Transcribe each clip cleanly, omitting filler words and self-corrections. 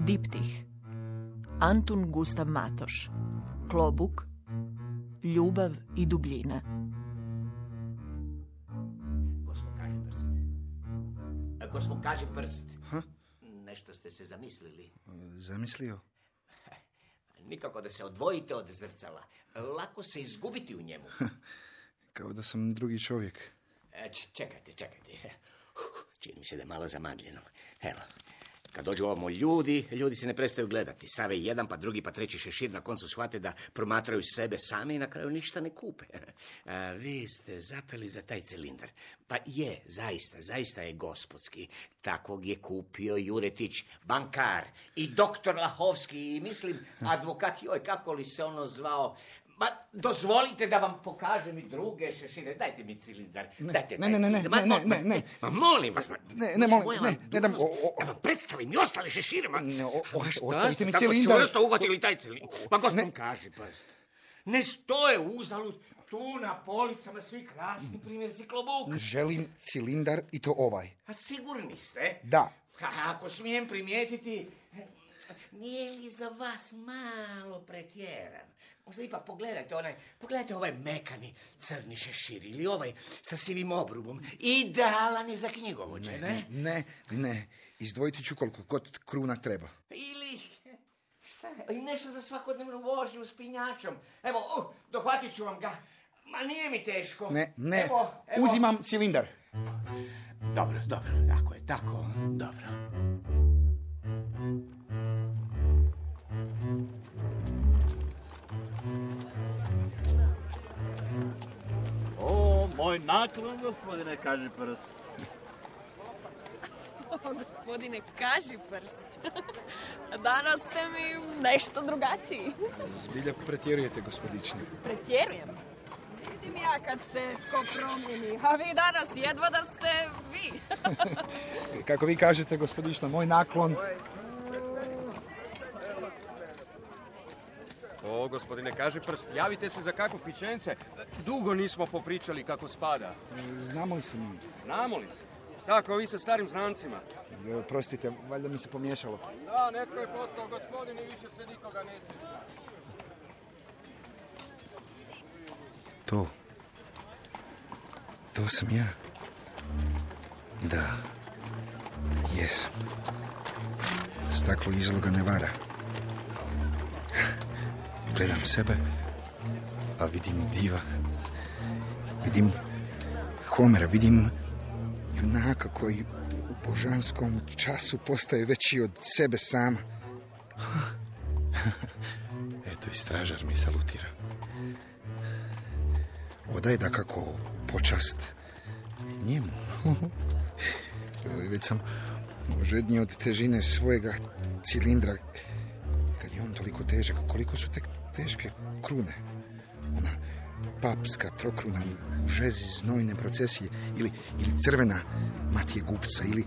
Diptih, Antun Gustav Matoš, Klobuk, Ljubav i dubljina. Gospod kaži prst. Ha? Nešto ste se zamislili. Zamislio? Nikako da se odvojite od zrcala. Lako se izgubiti u njemu. Kao da sam drugi čovjek. Čekajte. Čini mi se da je malo zamagljeno. Evo, kad dođu ovamo ljudi se ne prestaju gledati. Stave jedan, pa drugi, pa treći šešir, na koncu shvate da promatraju sebe sami i na kraju ništa ne kupe. Vi ste zapeli za taj cilindar. Pa je, zaista je gospodski. Takvog je kupio Juretić, bankar, i doktor Lahovski, i mislim, advokat, joj, kako li se ono zvao. Ma, dozvolite da vam pokažem i druge šešire. Dajte mi cilindar. Ne. Ma molim vas. Ne dam. Da vam predstavim i ostale šešire. Ostavite mi cilindar. Kako čvrsto uhvatili taj cilindar? Ma gospodin kaži prst. Ne stoje uzalud tu na policama svi krasni primjerci klobuka. Želim cilindar i to ovaj. A sigurni ste? Da. Ako smijem primijetiti, nije li za vas malo pretjeran? Možda ipak pogledajte ovaj mekani crni šešir ili ovaj sa sivim obrubom. Idealan je za knjigovođe, Ne. Izdvojiti ću koliko god kruna treba. Ili nešto za svakodnevnu vožnju s pinjačom. Evo, dohvatit ću vam ga. Ma nije mi teško. Ne. Evo. Uzimam cilindar. Dobro, tako, dobro. Moj naklon, gospodine kaži prst. Gospodine kaži prst. Danas ste mi nešto drugačiji. Zbilja pretjerujete, gospodične. Pretjerujem? Vidim ja kad se tko promijeni, a vi danas jedva da ste vi. Kako vi kažete, gospodična, moj naklon... O, gospodine kaži prst, javite se za kakvo pićence. Dugo nismo popričali kako spada. Znamo li se mi? Znamo li se? Tako, vi sa starim znancima. Prostite, valjda mi se pomiješalo. Da, netko je postao gospodin i više se nikoga ne sjeća. To sam ja. Da, jesam. Staklo izloga ne vara. Gledam sebe, a vidim diva. Vidim Homera, vidim junaka koji u božanskom času postaje veći od sebe sama. Eto i stražar mi salutira. Odaj da kako počast njemu. Već sam žedniji od težine svojega cilindra. Kad je on toliko težak, koliko su tek teške krune. Ona papska trokruna u žezi znojne procesije ili crvena Matije Gupca ili...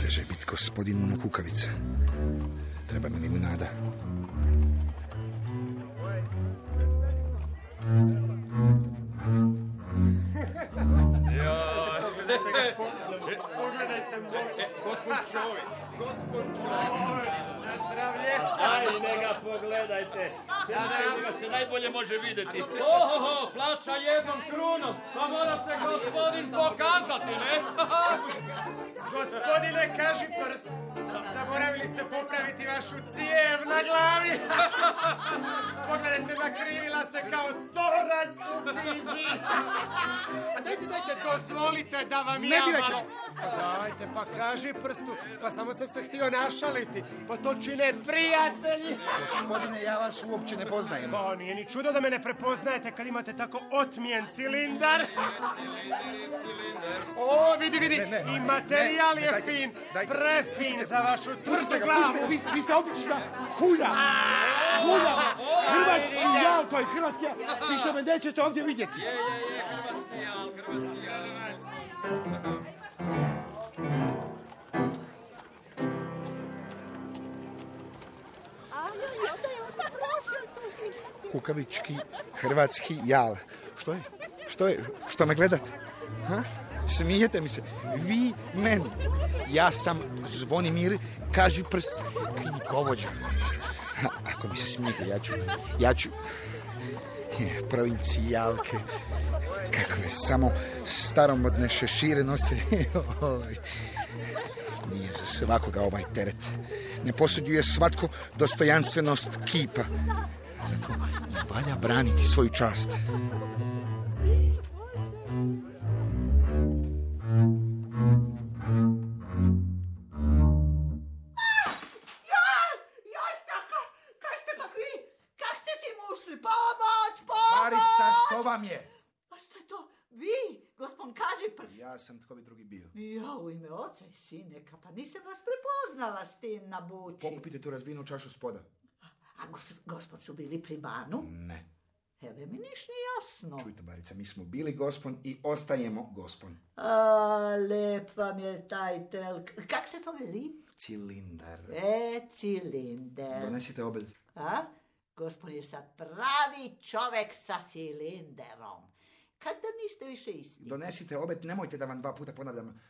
teže je biti gospodin na kukavica. Treba mi limunada. Gospod čovjek, na zdravlje. Aj, neka pogledajte. Njega se najbolje može vidjeti. Ohoho, plaća jednom krunom, pa mora se gospodin pokazati, ne? Gospodine, kaži prst. Zaboravili ste popraviti vašu cijev na glavi. Pogledajte, nakrivila se kao toranj u pizi. Dajte, dozvolite da vam ja malo... Dajte, pa kaži prstu. Pa samo sam se htio našaliti. Pa to čine prijatelji. Gospodine, ja vas uopće ne poznajem. Pa nije ni čudo da me ne prepoznajete kad imate tako otmijen cilindar. O, vidi. I materijal je fin. Prefin za vašu tvrdu glavu. Vi ste obična hulja. Hrvatski jal, to je hrvatski jal. Više me nećete ovdje vidjeti. Je, hrvatski jal. Kukavički hrvatski jal. Što je? Što me gledate? Ha? Smijete mi se. Vi meni. Ja sam Zvonimir Kažiprst, knjigovođa. Ako mi se smijete, ja ću... Provincijalke. Kakve samo staromodne šešire nose. Nije za svakoga ovaj teret. Ne posuđuje svatko dostojanstvenost kipa. Zato i valja braniti svoju čast. Barica, što vam je? A što je to? Vi, gospod Kažiprst? Ja sam, tko bi drugi bio? Ja, u ime oca i sineka, pa nisam vas prepoznala s tim na buči. Pokupite tu razbijenu čašu spoda. A gospod su bili pri banu? Ne. Evo mi niš ni jasno. Čujte, Barica, mi smo bili gospon i ostajemo gospon. A, lep vam je taj telk. Kak se to veli? Cilindar. Cilindar. Donesite obed. A? Gospod je sad pravi čovek sa cilinderom. Kad da niste više isti? Donesite obed, nemojte da vam 2 puta ponavljam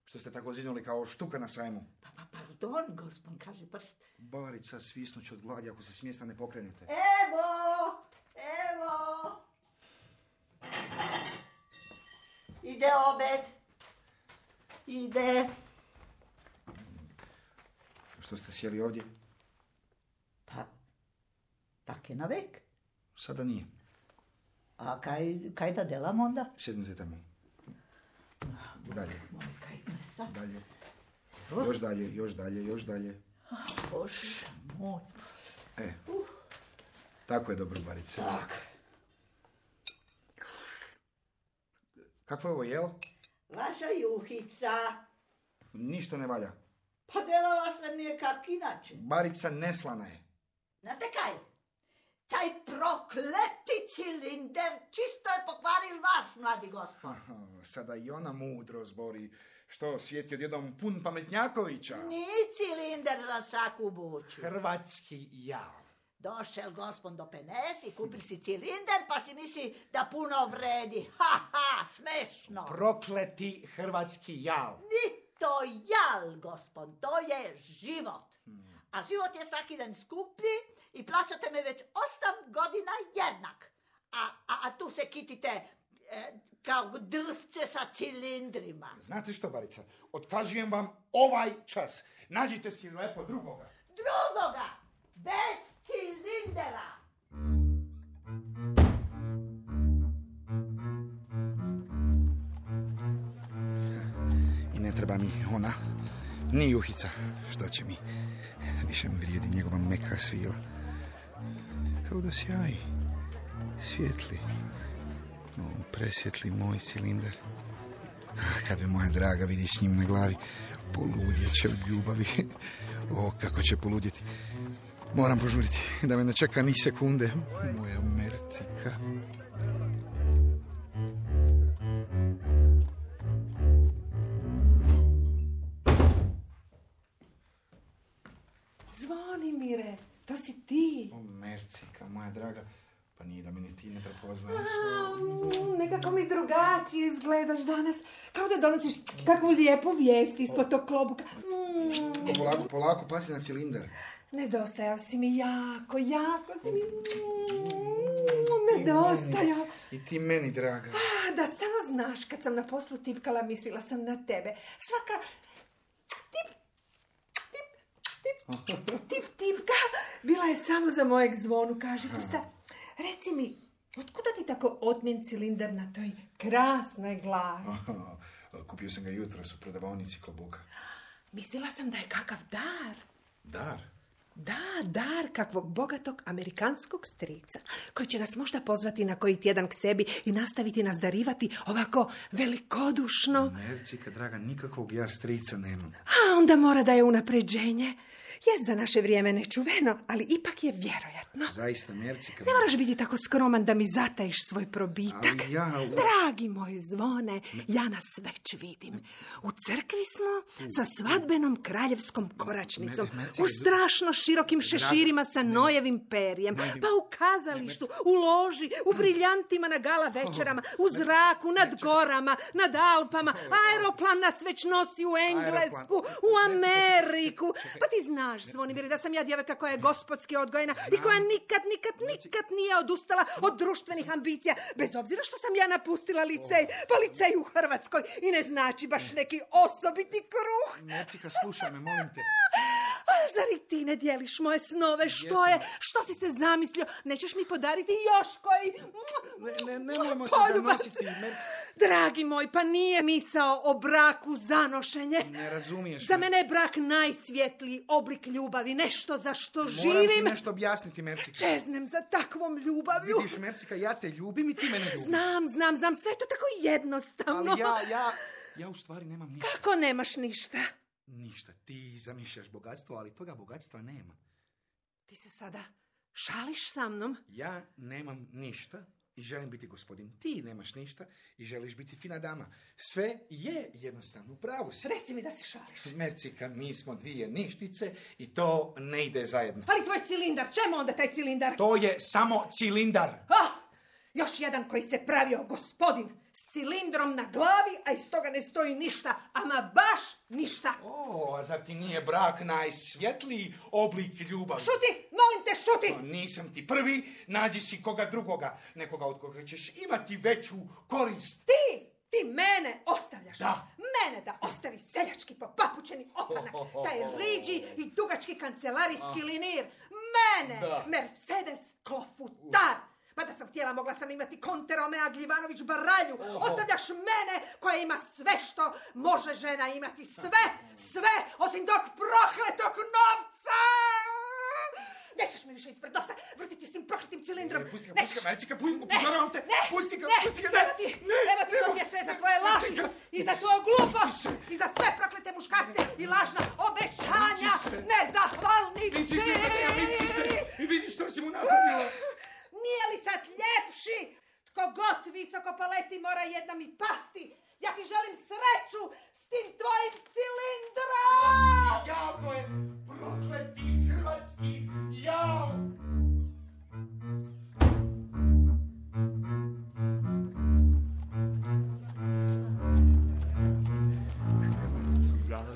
što ste tako zinuli kao štuka na sajmu. Pa pardon, gospod Kažiprst. Barica, svisnuću od gladi ako se s mjesta ne pokrenete. Evo! Ide obed. Ide. Što ste sjeli ovdje? Pa, tak je navek. Sada nije. A kaj da delam onda? Sjednite tamo. Dalje. Moj, kaj mesa? Dalje. Još dalje. Bože moj. Tako je dobro, Barice. Tak. Kakvo je ovo jelo? Vaša juhica. Ništa ne valja. Pa delala sam je kak inače. Barica neslana je. Znate kaj? Taj prokleti cilinder čisto je pokvaril vas, mladi gospod. Sada i ona mudro zbori. Što, svijet je odjednom pun pametnjakovića? Ni cilinder za svaku buču. Hrvatski jal. Došel gospod do Penes i kupil si cilinder, pa si misli da puno vredi. Smešno. Prokleti hrvatski jal. Ni to jal, gospod, to je život. A život je svaki dan skuplji i plaćate me već 8 godina jednak. A tu se kitite kao drvce sa cilindrima. Znate što, Barica? Otkazujem vam ovaj čas. Nađite si lepo drugoga. Drugoga! Bez cilindera! I ne treba mi ona, ni juhica. Što će mi? Više mi vrijedi njegova meka svila. Kao da sjaji. Svijetli. Presvjetli moj cilindar. Kad me moja draga vidi s njim na glavi, poludjet će od ljubavi. Kako će poludjeti. Moram požuriti da me ne čeka ni sekunde. Moja mercika. Zvonimire, to si ti. Mercika, moja draga. Pa nije da me ni ti ne prepoznaš. Nekako mi drugačije izgledaš danas. Kao da donosiš kakvu lijepu vijest ispod tog klobuka. Polako, pazi na cilindar. Nedostajao si mi jako si mi... Nedostajao. I ti meni, draga. Da samo znaš, kad sam na poslu tipkala, mislila sam na tebe. Svaka... Tipka bila je samo za mojeg Zvonu, Kažiprsta. Reci mi, otkuda ti tako otmjen cilindar na toj krasnoj glavi? Kupio sam ga jutros u prodavaonici klobuka. Mislila sam da je kakav dar. Dar? Da, dar kakvog bogatog amerikanskog strica, koji će nas možda pozvati na koji tjedan k sebi i nastaviti nas darivati ovako velikodušno. Mercika, draga, nikakvog ja strica nemam. A onda mora da je unapređenje. Je za naše vrijeme nečuveno, ali ipak je vjerojatno. Zaista, Mercika. Ne moraš biti tako skroman da mi zatajiš svoj probitak. Ali ja... Dragi moj Zvone, ja nas već vidim. U crkvi smo sa svadbenom kraljevskom koračnicom. U strašno širokim šeširima sa nojevim perjem. Pa u kazalištu, u loži, u briljantima na gala večerama, u zraku, nad gorama, nad Alpama. Aeroplan nas već nosi u Englesku, u Ameriku. Pa ti znaš, Zvonimire, da sam ja djevojka koja je gospodski odgojena i koja nikad nije odustala od društvenih ambicija, bez obzira što sam ja napustila licej, pa licej u Hrvatskoj i ne znači baš neki osobiti kruh. Mercika, slušaj me, molim te. A zar i ti ne dijeliš moje snove? Što si se zamislio? Nećeš mi podariti još koji... Nemojmo se zanositi, Mercika. Dragi moj, pa nije misao o braku zanošenje. Ne razumiješ. Za mene je brak najsvjetliji oblik ljubavi, nešto za što živim. Moram ti nešto objasniti, Mercika. Čeznem za takvom ljubavlju. Vidiš, Mercika, ja te ljubim i ti mene ljubiš. Znam, sve je to tako jednostavno. Ali ja u stvari nemam ništa. Kako nemaš ništa? Ništa, ti zamišljaš bogatstvo, ali toga bogatstva nema. Ti se sada šališ sa mnom? Ja nemam ništa i želim biti gospodin. Ti nemaš ništa i želiš biti fina dama. Sve je jednostavno, u pravu si. Reci mi da si šališ. Mercika, mi smo dvije ništice i to ne ide zajedno. Ali tvoj cilindar, čemu onda taj cilindar? To je samo cilindar. Još jedan koji se pravio gospodin s cilindrom na glavi, a iz toga ne stoji ništa, ama baš ništa. A zar ti nije brak najsvjetliji oblik ljubavi? Šuti, molim te, šuti! Nisam ti prvi, nađi si koga drugoga, nekoga od koga ćeš imati veću korist. Ti mene ostavljaš. Da. Mene da ostavi seljački popapučeni opanak, taj riđi i dugački kancelarijski linir. Mene, da. Mercedes klofutar. Pa da sam htjela, mogla sam imati Konte Romea Gljivanović Baralju. Ostavljaš mene koja ima sve što može žena imati. Sve, osim tog prokletog novca. Nećeš mi više ispred nosa vrtiti s tim prokletim cilindrom. Pusti ga, Mercika, upozoravam te. Pusti ga. Evo ti to je sve za tvoje laži i za tvoju glupost i za sve proklete muškarce i lažna obećanja nezahvalnici. Viči se i vidi što si mu napravila. Nije li sad ljepši? Tko god visoko poleti mora jednom i pasti. Ja ti želim sreću s tim tvojim cilindrom! Jako je prokleti hrvatski jao!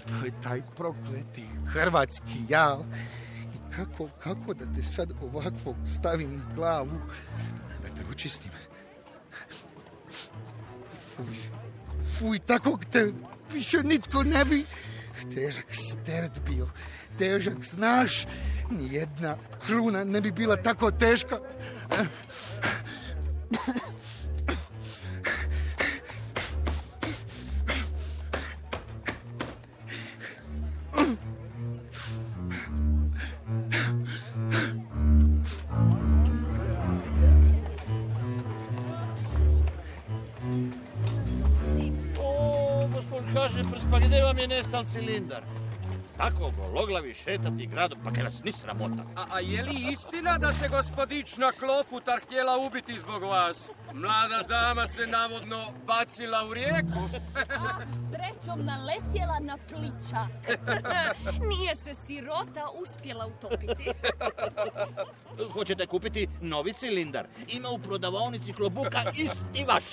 To je taj prokleti hrvatski jal. Kako da te sad ovakvog stavim na glavu, da te očistim? Fuj, takvog te više nitko ne bi. Težak steret bio, težak, znaš, nijedna kruna ne bi bila tako teška. Pa gdje vam je nestal cilindar? Tako gologlavi šetati gradom, pa kaj nas ni sramota. A je li istina da se gospodična Klofutar htjela ubiti zbog vas? Mlada dama se navodno bacila u rijeku. Srećom naletjela na pličak. Nije se sirota uspjela utopiti. Hoćete kupiti novi cilindar? Ima u prodavaonici klobuka isti vaš.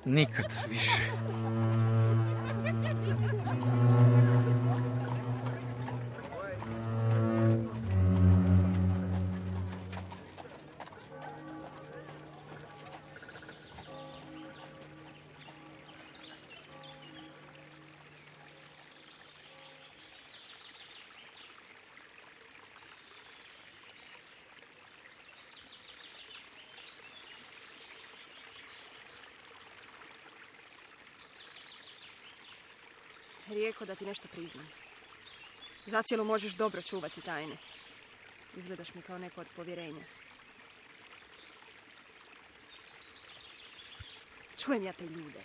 Nikad više. Rijeko da ti nešto priznam. Zacijelo možeš dobro čuvati tajne. Izgledaš mi kao neko od povjerenja. Čujem ja te ljude.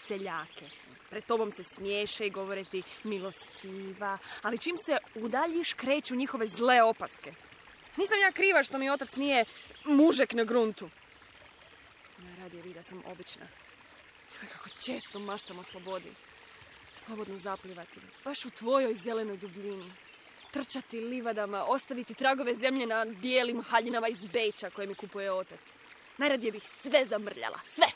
seljake. Pred tobom se smiješe i govore ti milostiva, ali čim se udaljiš kreću njihove zle opaske. Nisam ja kriva što mi otac nije mužek na gruntu. Najradije bi da sam obična. Kako često maštam o slobodi. Slobodno zaplivati, baš u tvojoj zelenoj dubljini. Trčati livadama, ostaviti tragove zemlje na bijelim haljinama iz Beča koje mi kupuje otac. Najradije bih sve zamrljala, sve!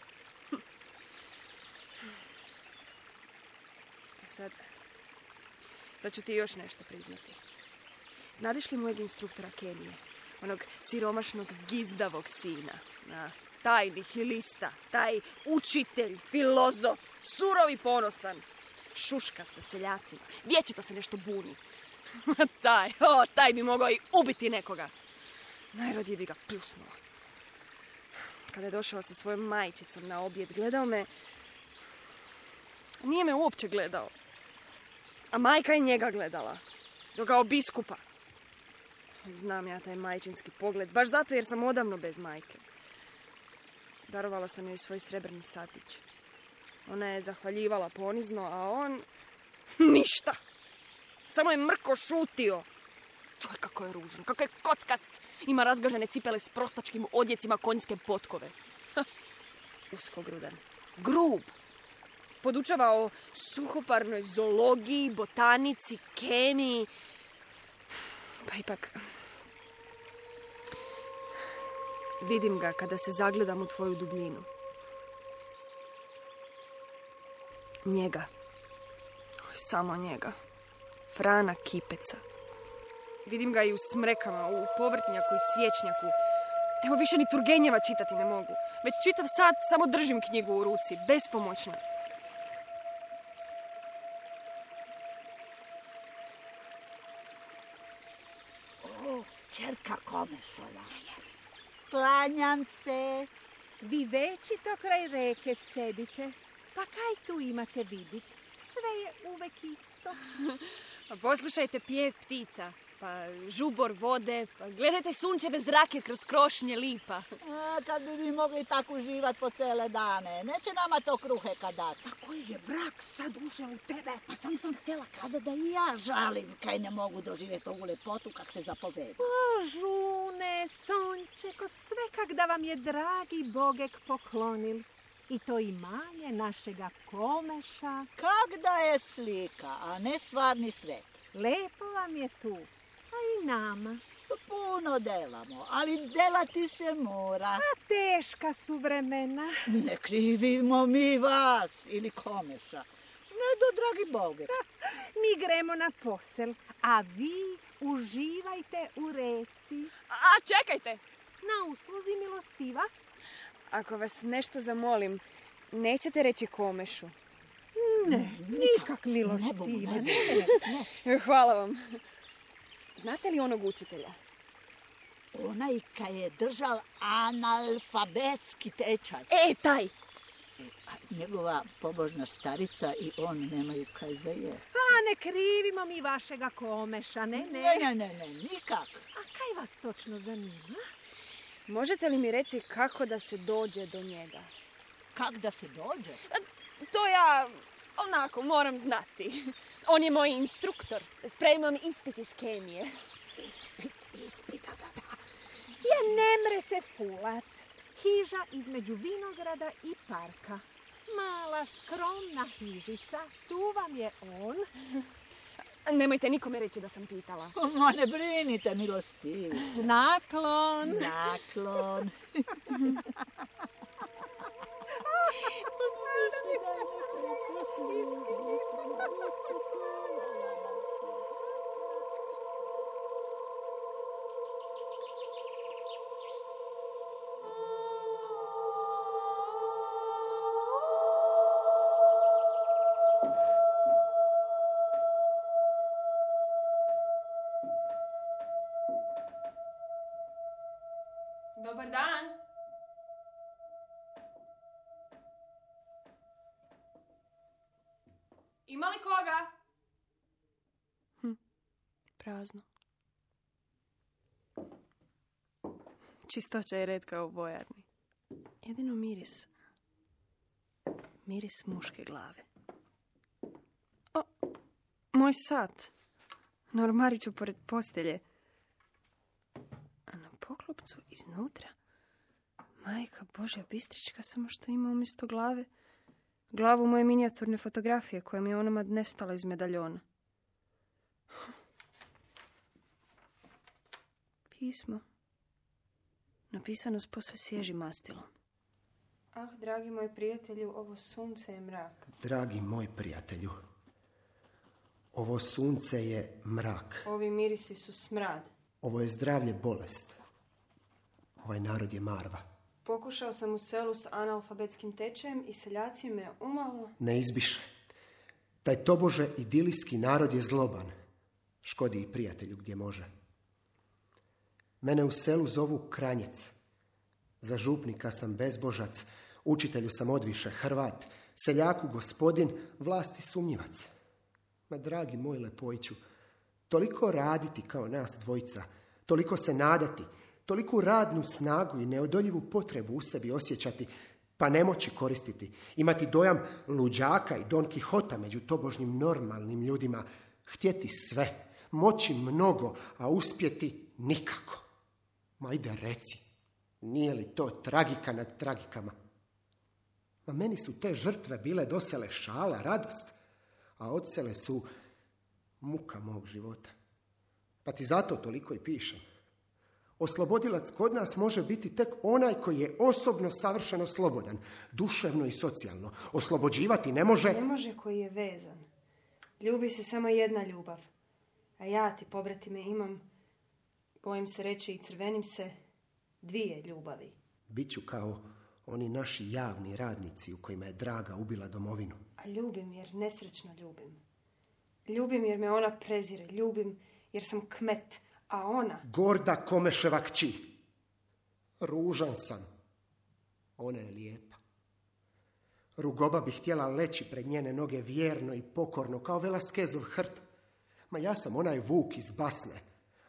Sad ću ti još nešto priznati. Znadeš li mojeg instruktora kemije? Onog siromašnog gizdavog sina. Taj nihilista, taj učitelj, filozof, surov i ponosan. Šuška sa seljacima, vječito se nešto buni. Taj bi mogao i ubiti nekoga. Najradije bi ga pljusnula. Kada je došao sa svojom majčicom na objed, gledao me. Nije me uopće gledao. A majka je njega gledala. Kao biskupa. Znam ja taj majčinski pogled, baš zato jer sam odavno bez majke. Darovala sam joj svoj srebrni satić. Ona je zahvaljivala ponizno, a on... ništa. Samo je mrko šutio. Čuj, kako je ružan, kako je kockast. Ima razgažene cipele s prostačkim odjecima konjske potkove. Uskogrudan. Grub. Podučava o suhoparnoj zoologiji, botanici, kemiji. Pa ipak... vidim ga kada se zagledam u tvoju dubljinu. Njega. Samo njega. Frana Kipeca. Vidim ga i u smrekama, u povrtnjaku i cvijećnjaku. Evo, više ni Turgenjeva čitati ne mogu. Već čitav sat samo držim knjigu u ruci, bespomoćna. Čerka Komešova. Klanjam se. Vi večito kraj reke sedite. Pa kaj tu imate vidit? Sve je uvek isto. Pa poslušajte pjev ptica, pa žubor vode, pa gledajte sunčeve zrake kroz krošnje lipa. Kad bi mi mogli tako uživat po cele dane. Neće nama to kruhe kad dat. Pa koji je vrak sad ušao u tebe? Pa sam htjela kazati da i ja žalim kaj ne mogu doživjeti ovu lepotu kak se zapoveda. O, žune, sončeko, sve kak da vam je dragi Bogek poklonil. I to imanje našega Komeša. Kak da je slika, a ne stvarni svet. Lepo vam je tu, a i nama. Puno delamo, ali delati se mora. A teška su vremena. Ne krivimo mi vas ili Komeša. Ne do dragi Boge. Mi gremo na posel, a vi uživajte u reci. A čekajte! Na usluzi milostiva. Ako vas nešto zamolim, nećete reći Komešu? Ne, nikak milostiva. Ne. Hvala vam. Znate li onog učitelja? Onaj kaj je držal analfabetski tečaj. Taj! Njegova pobožna starica i on nemaju kaj za jest. Pa ne krivimo mi vašega Komeša, ne. Ne, nikak. A kaj vas točno zanima? Možete li mi reći kako da se dođe do njega? Kak da se dođe? To ja, onako, moram znati. On je moj instruktor. Spremam ispit iz kemije. Ispit, da. Ja ne mrete fulat. Hiža između vinograda i parka. Mala, skromna hižica. Tu vam je on. Nemojte nikome reći da sam pitala. Ma ne brinite, milostivice. Naklon. Dobar dan. Ima li koga? Prazno. Čistoća je retka u vojarni. Jedino miris. miris muške glave. O, moj sat. Na ormariću pored postelje. A na poklopcu iznutra Majka Božja Bistrička, samo što ima umjesto glave glavu moje minijaturne fotografije koja mi je onama nestala iz medaljona. Pismo. Napisano s posve svježim mastilom. Ah, dragi moj prijatelju, ovo sunce je mrak. Dragi moj prijatelju, ovo sunce je mrak. Ovi mirisi su smrad. Ovo je zdravlje bolest. Ovaj narod je marva. Pokušao sam u selu s analfabetskim tečajem i seljaci me umalo... Ne izbiše. Taj tobože idilijski narod je zloban. Škodi i prijatelju gdje može. Mene u selu zovu Kranjec. Za župnika sam bezbožac, učitelju sam odviše Hrvat, seljaku gospodin, vlasti sumnjivac. Ma dragi moj Lepojiću, toliko raditi kao nas dvojica, toliko se nadati, toliku radnu snagu i neodoljivu potrebu u sebi osjećati, pa ne moći koristiti, imati dojam luđaka i Don Kihota među tobožnjim normalnim ljudima, htjeti sve, moći mnogo, a uspjeti nikako. Ma ajde reci, nije li to tragika nad tragikama? Ma meni su te žrtve bile dosele šala, radost, a odsele su muka mog života. Pa ti zato toliko i pišem. Oslobodilac kod nas može biti tek onaj koji je osobno savršeno slobodan, duševno i socijalno. Oslobođivati ne može... Ne može koji je vezan. Ljubi se samo jedna ljubav. A ja ti, pobratime, imam, bojim se reći i crvenim se, 2 ljubavi. Biću kao oni naši javni radnici u kojima je draga ubila domovinu. A ljubim jer nesrećno ljubim. Ljubim jer me ona prezire. Ljubim jer sam kmet. A ona... Gorda Komeševa kći. Ružan sam. Ona je lijepa. Rugoba bi htjela leći pred njene noge vjerno i pokorno, kao Velaskezov hrt. Ma ja sam onaj vuk iz basne,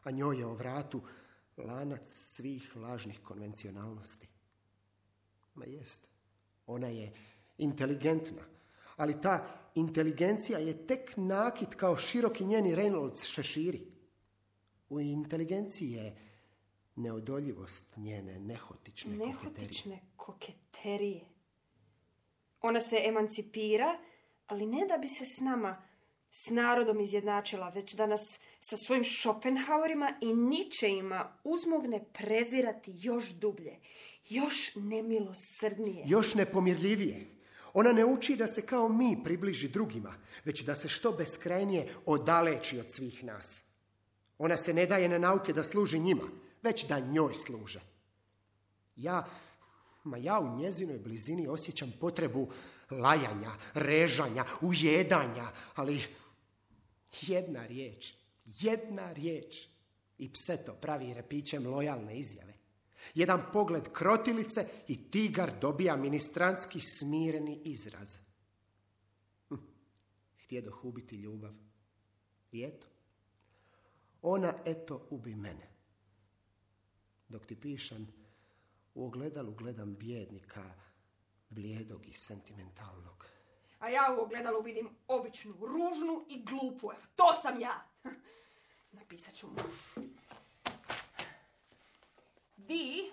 a njoj je o vratu lanac svih lažnih konvencionalnosti. Ma jest, ona je inteligentna, ali ta inteligencija je tek nakit kao široki njeni Reynolds šeširi. U inteligenciji je neodoljivost njene nehotične koketerije. Ona se emancipira, ali ne da bi se s nama, s narodom izjednačila, već da nas sa svojim Schopenhauerima i Nietzscheima uzmogne prezirati još dublje, još nemilosrdnije. Još nepomirljivije. Ona ne uči da se kao mi približi drugima, već da se što beskrajnije odaleči od svih nas. Ona se ne daje na nauke da služi njima, već da njoj služe. Ja u njezinoj blizini osjećam potrebu lajanja, režanja, ujedanja, ali jedna riječ i pse to pravi repićem lojalne izjave. Jedan pogled krotilice i tigar dobija ministrantski smireni izraz. Htjedoh ubiti ljubav. I eto. Ona eto ubi mene. Dok ti pišem, u ogledalu gledam bijednika, blijedog i sentimentalnog. A ja u ogledalu vidim običnu, ružnu i glupu. Evo, to sam ja. Napisat ću mu. Vi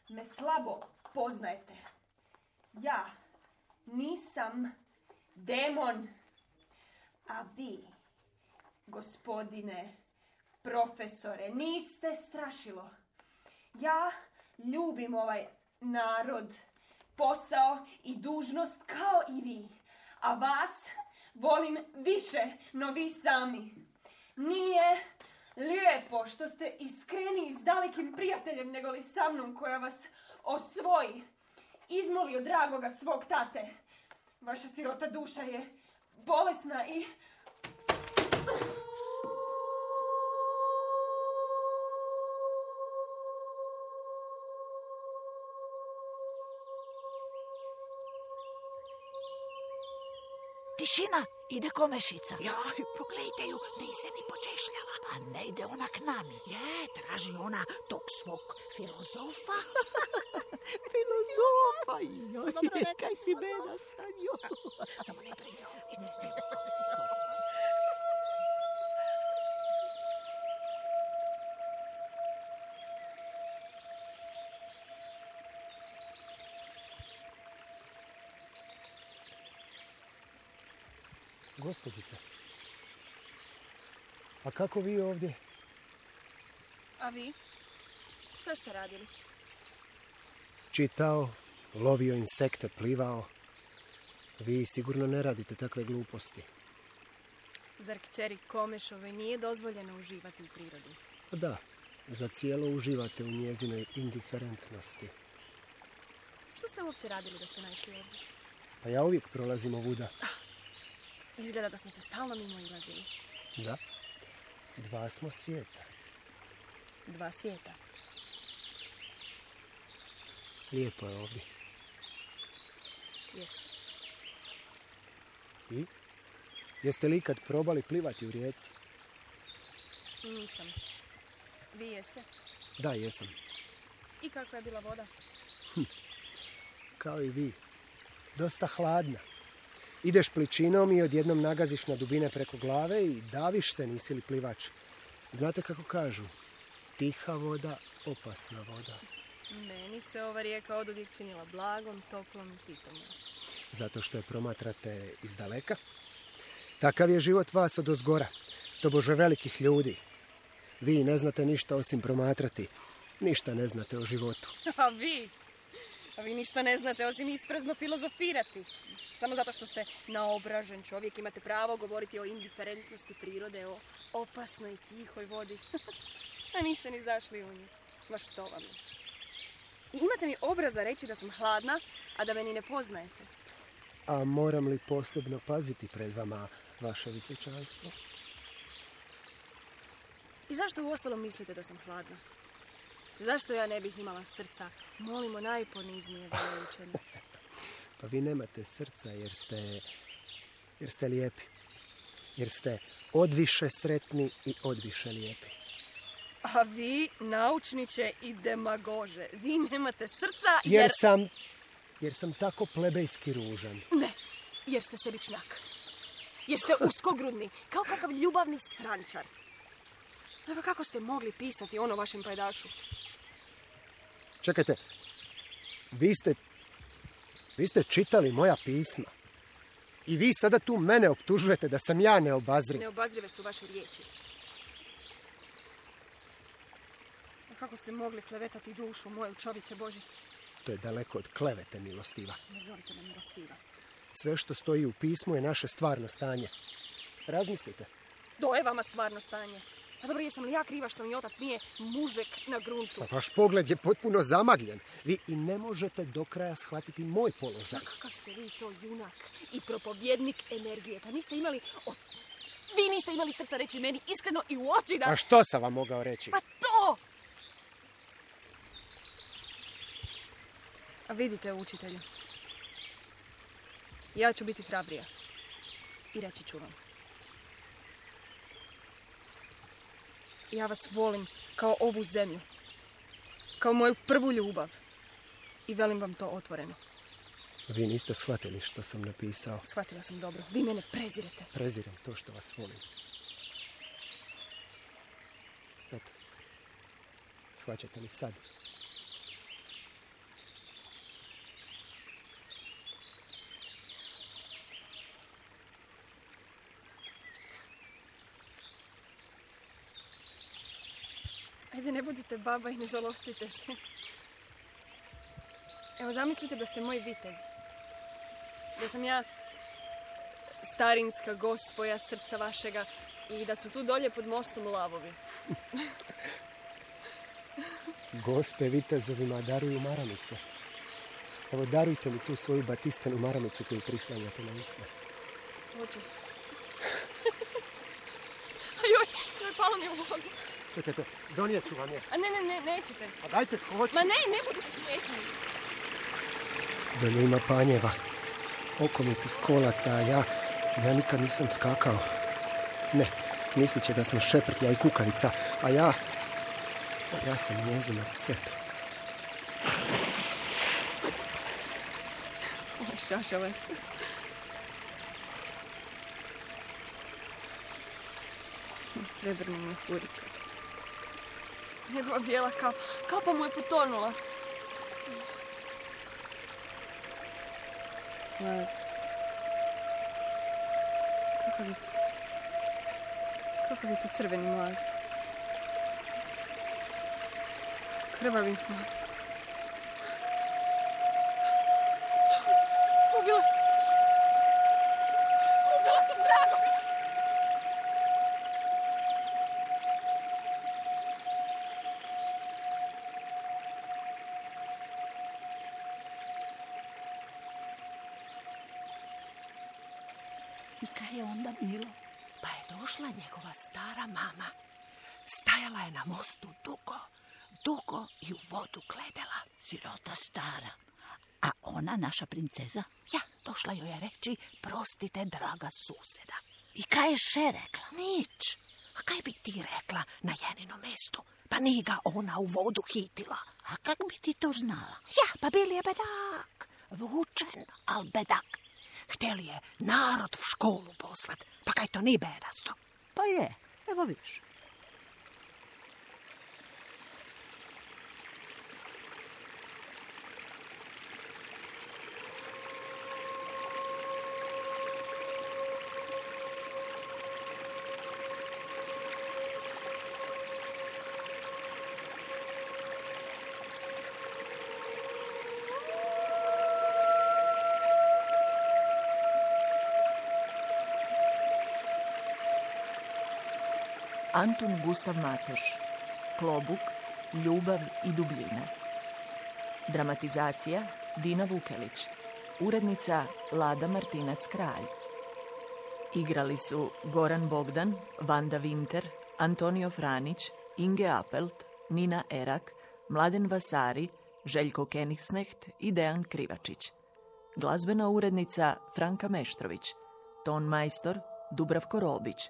me slabo poznajete. Ja nisam demon. A vi, gospodine profesore, niste strašilo. Ja ljubim ovaj narod, posao i dužnost kao i vi. A vas volim više no vi sami. Nije lijepo što ste iskreniji s dalekim prijateljem nego li sa mnom koja vas osvoji. Izmoli od dragoga svog tate. Vaša sirota duša je bolesna i... Tišina, ide Komešica. Joj, pogledajte ju, nije se ni počešljala. Pa ne ide ona k nami. Je, traži ona tog svog filozofa. supa, joj, kaj si beda sa njom. Samo ne predi ovdje. Gospođice, a kako vi ovdje? A vi? Šta ste radili? Čitao, lovio insekte, plivao. Vi sigurno ne radite takve gluposti. Zar kćeri Komešove nije dozvoljeno uživati u prirodi? Da, za cijelo uživate u njezinoj indiferentnosti. Što ste uopće radili da ste naišli ovdje? Pa ja uvijek prolazim ovuda. Izgleda da smo se stalno mimo ilazili. Da, 2 smo svijeta. 2 svijeta. Lijepo je ovdje. Jeste. I? Jeste li ikad probali plivati u rijeci? Nisam. Vi jeste? Da, jesam. I kakva je bila voda? Kao i vi. Dosta hladna. Ideš pličinom i odjednom nagaziš na dubine preko glave i daviš se, nisi li plivač. Znate kako kažu? Tiha voda, opasna voda. Meni se ova rijeka oduvijek činila blagom, toplom i pitomom. Zato što je promatrate iz daleka? Takav je život vas odozgora, tobože velikih ljudi. Vi ne znate ništa osim promatrati. Ništa ne znate o životu. A vi? A vi ništa ne znate osim isprazno filozofirati. Samo zato što ste naobražen čovjek imate pravo govoriti o indiferentnosti prirode, o opasnoj i tihoj vodi. A niste ni zašli u nju. Ma što vam je? I imate mi obraza reći da sam hladna, a da me ni ne poznajete. A moram li posebno paziti pred vama, vaše visočanstvo? I zašto uostalom mislite da sam hladna? Zašto ja ne bih imala srca? Molimo najponiznije veličene. Pa vi nemate srca jer ste lijepi. Jer ste odviše sretni i odviše lijepi. A vi, naučniče i demagože, vi nemate srca Jer sam tako plebejski ružan. Ne, jer ste sebičnjak. Jer ste uskogrudni, kao kakav ljubavni strančar. Dobro, kako ste mogli pisati ono vašem pajdašu? Čekajte, vi ste čitali moja pisma. I vi sada tu mene optužujete da sam ja neobazriv. Neobazrive su vaše riječi. A kako ste mogli klevetati dušu moju, čovječe Boži? To je daleko od klevete, milostiva. Ne zovite me milostiva. Sve što stoji u pismu je naše stvarno stanje. Razmislite. To je vama stvarno stanje. A dobro, jesam li ja kriva što mi otac nije mužek na gruntu? Pa vaš pogled je potpuno zamagljen. Vi i ne možete do kraja shvatiti moj položaj. A kakav ste vi to junak i propovjednik energije. Pa niste imali... Vi niste imali srca reći meni iskreno i u oči da... A što sam vam mogao reći? Pa to! A vidite, učitelju. Ja ću biti hrabrija. I reći ću vam. Ja vas volim kao ovu zemlju. Kao moju prvu ljubav. I velim vam to otvoreno. Vi niste shvatili što sam napisao. Shvatila sam dobro. Vi mene prezirete. Prezirem to što vas volim. Eto. Shvaćate li sad? Ajde, ne budite baba i ne žalostite se. Evo, zamislite da ste moj vitez. Da sam ja starinska gospoja srca vašega i da su tu dolje pod mostom lavovi. Gospe vitezovima daruju maramice. Evo, darujte mi tu svoju batistanu maramicu koju prislanjate na usne. Hoću. Joj, palo mi u vodu. Čekajte, donijet ću vam je. A ne, nećete. A dajte, hoću. Ma ne budite smiješni. Dolje ima panjeva, okomitih kolaca, a ja nikad nisam skakao. Ne, mislit će da sam šeprtlja i kukavica, a ja sam njezina pseto. Ovaj šašavac. Srebrni mehurić. Njegova bijela kapa mu je potonula. Laz. Kakav je to crveni mlaz? Krvavi mlaz. Ubila sam Dragog! I kaj je onda bilo? Pa je došla njegova stara mama. Stajala je na mostu dugo i u vodu gledala. Sirota stara. A ona, naša princeza? Ja, došla joj je reći, prostite, draga suseda. I kaj je še rekla? Nič. A kaj bi ti rekla na jeninom mestu? Pa nije ga ona u vodu hitila. A kak bi ti to znala? Ja, pa bil je bedak. Vučen, al bedak. Htjeli je narod v školu poslat, pa kaj to ni bedasto. Pa je, evo viš. Antun Gustav Matoš. Klobuk, ljubav i dubljina. Dramatizacija Dina Vukelić. Urednica Lada Martinac-Kralj. Igrali su Goran Bogdan, Vanda Winter, Antonio Franić, Inge Appelt, Nina Erak, Mladen Vasari, Željko Kenigsnecht i Dejan Krivačić. Glazbena urednica Franka Meštrović. Ton majstor Dubravko Robić.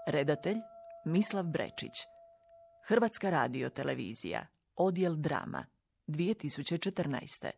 Redatelj Mislav Brečić. Hrvatska radiotelevizija. Odjel drama. 2014.